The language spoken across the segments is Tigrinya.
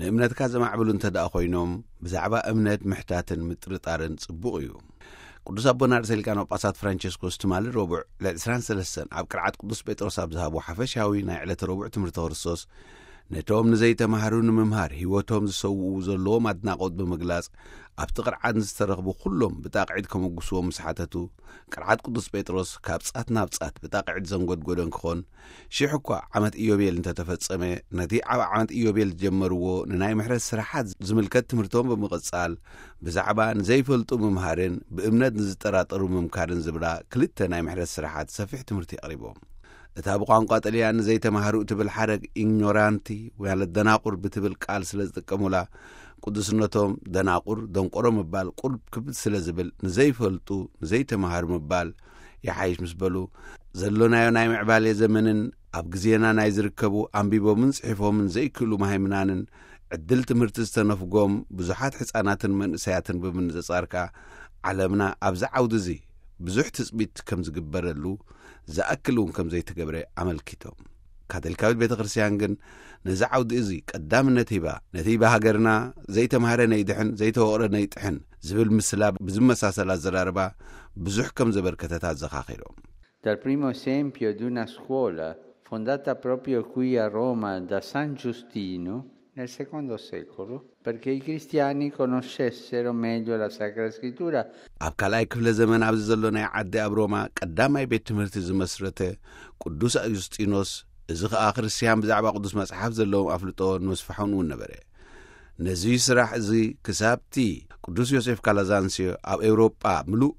ንእምነትካ ዘማዕብሉ እንተ ደኣ ኮይኖም፣ ብዛዕባ እምነት ምሕታትን ምጥርጣርን ጽቡቕ እዩ። ቅዱስ ኣቦና ርእሰ ሊቃነ ጳጳሳት ፍራንቸስኮስ ትማሊ ረቡዕ ልዕሊ ዕስራን ሰለስተን ኣብ ቅርዓት ቅዱስ ጴጥሮስ ኣብ ዝሃቦ ሓፈሻዊ ናይ ዕለተ ረቡዕ ትምህርቲ ክርስቶስ፣ ነቶም ንዘይተማህሩ ንምምሃር ህይወቶም ዝሰውኡ ዘለዎም ኣድናቖት ብምግላጽ፣ ኣብቲ ቅርዓት ዝተረኽቡ ኩሎም ብጣቕዒት ከመጉስዎም ምስ ሓተቱ፣ ቅርዓት ቅዱስ ጴጥሮስ ካብ ጻት ናብ ጻት ብጣቕዒት ዘንጎድጎደን ክኾን፣ ሽሕ እኳ ዓመት ኢዮቤል እንተተፈጸመ፣ ነቲ ኣብ ዓመት ኢዮቤል ዝጀመርዎ ንናይ ምሕረት ስራሓት ዝምልከት ትምህርቶም ብምቕጻል፣ ብዛዕባ ንዘይፈልጡ ምምሃርን ብእምነት ንዝጠራጠሩ ምምካርን ዝብላ ክልተ ናይ ምሕረት ስራሓት ሰፊሕ ትምህርቲ ኣቕሪቦም። እታ ብቋንቋ ጥልያን ንዘይተማህሩ እትብል ሓረግ ኢግኖራንቲ ማለት ደናቁር ብትብል ቃል ስለ ዝጥቀሙላ፣ ቅዱስነቶም ደናቁር፣ ደንቆሮ ምባል ቁልብ ክብድ ስለ ዝብል፣ ንዘይፈልጡ፣ ንዘይተማህሩ ምባል ይሓይሽ ምስ በሉ፣ ዘሎናዮ ናይ ምዕባሌ ዘመንን ኣብ ግዜና ናይ ዝርከቡ ኣንቢቦምን ጽሒፎምን ዘይክእሉ መሃይምናንን ዕድል ትምህርቲ ዝተነፍጎም ብዙሓት ሕጻናትን መንእሰያትን ብምንጽጻር ከኣ፣ ዓለምና ኣብዚ ዓውዲ እዚ ብዙሕ ትጽቢት ከም ዝግበረሉ ዝኣክል እውን ከም ዘይተገብረ ኣመልኪቶም። ካቶሊካዊት ቤተ ክርስቲያን ግን ነዚ ዓውዲ እዚ ቀዳምነት ሂባ፣ ነቲ ብሃገርና ዘይተማህረ ነይድሕን ዘይተወቕረ ነይጥሕን ዝብል ምስላ ብዝመሳሰል ኣዘራርባ ብዙሕ ከም ዘበርከተት ኣዘኻኺሮም። Dal primo esempio di una scuola fondata proprio qui a Roma da San Giustino nel secondo secolo, perché i cristiani conoscessero meglio la Sacra Scrittura. ኣብ ካልኣይ ክፍለ ዘመን ኣብዚ ዘሎ ናይ ዓዲ ኣብ ሮማ ቀዳማይ ቤት ትምህርቲ ዝመስረተ ቅዱስ ኣዩስጢኖስ፣ እዚ ኸኣ ክርስትያን ብዛዕባ ቅዱስ መጽሓፍ ዘለዎም ኣፍልጦ ንምስፋሖም እውን ነበረ። ነዚ ስራሕ እዚ ክሳብቲ ቅዱስ ዮሴፍ ካላዛንስዮ ኣብ ኤውሮጳ ምሉእ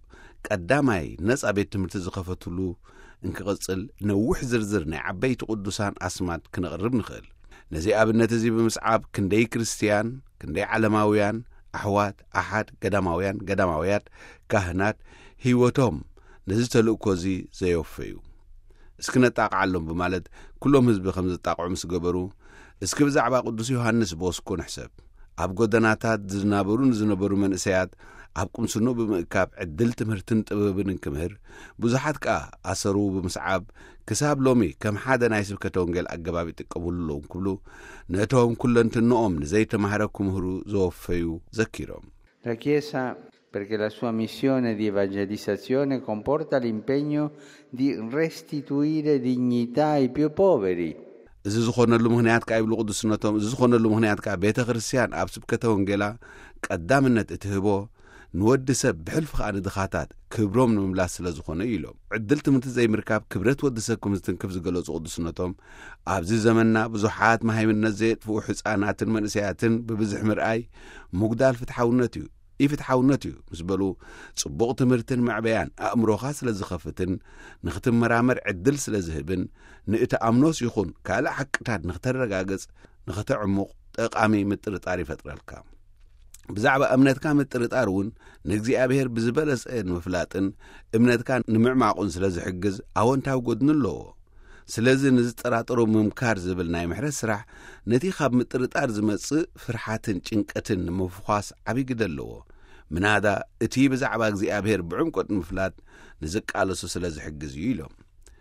ቀዳማይ ነጻ ቤት ትምህርቲ ዝኸፈትሉ እንክቕጽል፣ ነዊሕ ዝርዝር ናይ ዓበይቲ ቅዱሳን ኣስማት ክነቕርብ ንኽእል። ነዚ ኣብነት እዚ ብምስዓብ ክንደይ ክርስትያን፣ ክንደይ ዓለማውያን፣ ኣሕዋት፣ ኣሓት፣ ገዳማውያን፣ ገዳማውያት፣ ካህናት፣ ህይወቶም ነዚ ተልእኮ እዚ ዘየወፈዩ። እስኪ ነጣቕዓሎም ብማለት ኩሎም ህዝቢ ከም ዘጣቕዑ ምስ ገበሩ፣ እስኪ ብዛዕባ ቅዱስ ዮሃንስ ቦስኮ ንሕሰብ። ኣብ ጎደናታት ዝናበሩ ንዝነበሩ መንእሰያት ኣብ ቁምስኖ ብምእካብ ዕድል ትምህርትን ጥበብን እንክምህር፣ ብዙሓት ከኣ ኣሰሩ ብምስዓብ ክሳብ ሎሚ ከም ሓደ ናይ ስብከተ ወንጌል ኣገባብ ይጥቀሙሉ ኣለዉ እንክብሉ፣ ነቶም ኩለንትንኦም ንዘይተማህረ ክምህሩ ዘወፈዩ ዘኪሮም። La Chiesa, perché la sua missione di evangelizzazione comporta l'impegno di restituire dignità ai più poveri. እዚ ዝኾነሉ ምኽንያት ከኣ ይብሉ ቅዱስነቶም፣ እዚ ዝኾነሉ ምኽንያት ከኣ ቤተ ክርስቲያን ኣብ ስብከተ ወንጌላ ቀዳምነት እትህቦ ንወዲ ሰብ ብሕልፊ ከኣ ንድኻታት ክብሮም ንምምላስ ስለ ዝኾነ እዩ ኢሎም። ዕድል ትምህርቲ ዘይምርካብ ክብረት ወዲ ሰብ ከም ዝትንክፍ ዝገለጹ ቅዱስነቶም፣ ኣብዚ ዘመንና ብዙሓት መሃይምነት ዘየጥፍኡ ሕፃናትን መንእሰያትን ብብዝሒ ምርኣይ ምጉዳል ፍትሓውነት እዩ፣ ኢፍትሓውነት እዩ ምስ በሉ፣ ጽቡቕ ትምህርትን መዕበያን ኣእምሮኻ ስለ ዝኸፍትን ንኽትመራመር ዕድል ስለ ዝህብን ንእትኣምኖስ ይኹን ካልእ ሓቅታት ንኽተረጋግጽ ንኽተዕሙቕ ጠቓሚ ምጥርጣር ይፈጥረልካ። ብዛዕባ እምነትካ ምጥርጣር እውን ንእግዚኣብሔር ብዝበለጸ ንምፍላጥን እምነትካ ንምዕማቑን ስለ ዝሕግዝ ኣወንታዊ ጎድኒ ኣለዎ። ስለዚ ንዝጠራጠሩ ምምካር ዝብል ናይ ምሕረት ስራሕ ነቲ ካብ ምጥርጣር ዝመጽእ ፍርሓትን ጭንቀትን ንምፍዃስ ዓብዪ ግደ ኣለዎ። ምናዳ እቲ ብዛዕባ እግዚኣብሔር ብዕምቆት ንምፍላጥ ንዝቃለሱ ስለ ዝሕግዝ እዩ ኢሎም።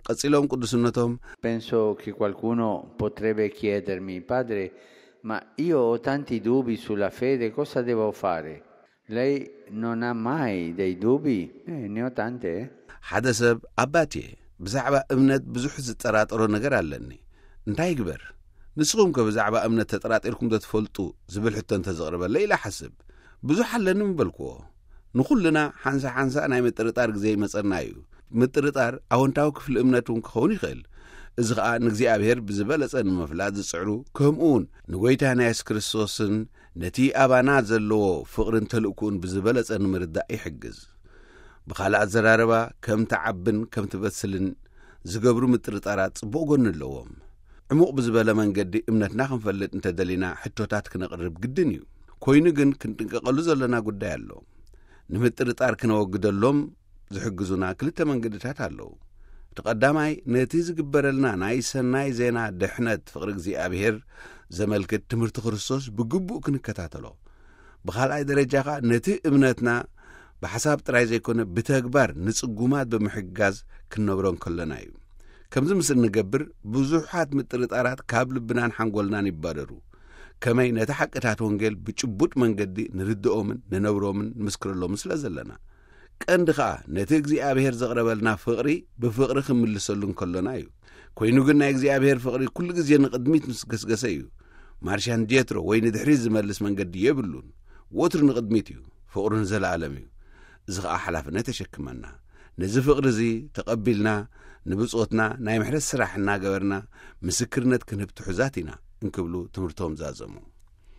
ቀጺሎም ቅዱስነቶም Penso che qualcuno potrebbe chiedermi, padre, ma io ho tanti dubbi sulla fede, cosa devo fare? Lei non ha mai dei dubbi? Eh, ne ho tante, eh. ሓደ ሰብ ኣባቴ ብዛዕባ እምነት ብዙሕ ዝጠራጠሮ ነገር ኣለኒ፣ እንታይ ይግበር? ንስኹም ከ ብዛዕባ እምነት ተጠራጢርኩም ዶ ትፈልጡ ዝብል ሕቶ እንተዘቕርበለይ ኢለ ሓስብ። ብዙሕ ኣለኒ ምበልክዎ። ንኹልና ሓንሳ ሓንሳ ናይ ምጥርጣር ግዜ ይመጸና እዩ። ምጥርጣር ኣወንታዊ ክፍሊ እምነት እውን ክኸውን ይኽእል። እዚ ኸኣ ንእግዚኣብሔር ብዝበለጸ ንምፍላጥ ዝጽዕሩ፣ ከምኡ እውን ንጎይታና የሱስ ክርስቶስን ነቲ ኣባና ዘለዎ ፍቕርን ተልእኮኡን ብዝበለጸ ንምርዳእ ይሕግዝ። ብኻልእ ኣዘራርባ፣ ከም ትዓብን ከም ትበስልን ዝገብሩ ምጥርጣራት ጽቡቕ ጎኒ ኣለዎም። ዕሙቕ ብዝበለ መንገዲ እምነትና ክንፈልጥ እንተደሊና ሕቶታት ክነቕርብ ግድን እዩ። ኮይኑ ግን ክንጥንቀቐሉ ዘለና ጉዳይ ኣሎ። ንምጥርጣር ክነወግደሎም ዝሕግዙና ክልተ መንገድታት ኣለዉ። እቲ ቀዳማይ ነቲ ዝግበረልና ናይ ሰናይ ዜና ድሕነት ፍቕሪ እግዚኣብሔር ዘመልክት ትምህርቲ ክርስቶስ ብግቡእ ክንከታተሎ። ብኻልኣይ ደረጃ ኸኣ ነቲ እምነትና ብሓሳብ ጥራይ ዘይኮነ ብተግባር ንጽጉማት ብምሕጋዝ ክንነብሮ እንከሎና እዩ። ከምዚ ምስ እንገብር ብዙሓት ምጥርጣራት ካብ ልብናን ሓንጎልናን ይባረሩ። ከመይ ነቲ ሓቅታት ወንጌል ብጭቡጥ መንገዲ ንርድኦምን ንነብሮምን ንምስክረሎምን ስለ ዘለና። ቀንዲ ኸኣ ነቲ እግዚኣብሔር ዘቕረበልና ፍቕሪ ብፍቕሪ ክንምልሰሉ እንከሎና እዩ። ኮይኑ ግን ናይ እግዚኣብሔር ፍቕሪ ኩሉ ግዜ ንቕድሚት ምስ ገስገሰ እዩ። ማርሻን ጀትሮ ወይ ንድሕሪት ዝመልስ መንገዲ የብሉን። ወትሩ ንቕድሚት እዩ። ፍቕሩ ንዘለኣለም እዩ። እዚ ኸኣ ሓላፍነት የሸክመና። ነዚ ፍቕሪ እዚ ተቐቢልና ንብጾትና ናይ ምሕረት ስራሕ እናገበርና ምስክርነት ክንህብ ትሑዛት ኢና እንክብሉ ትምህርቶም ዛዘሙ።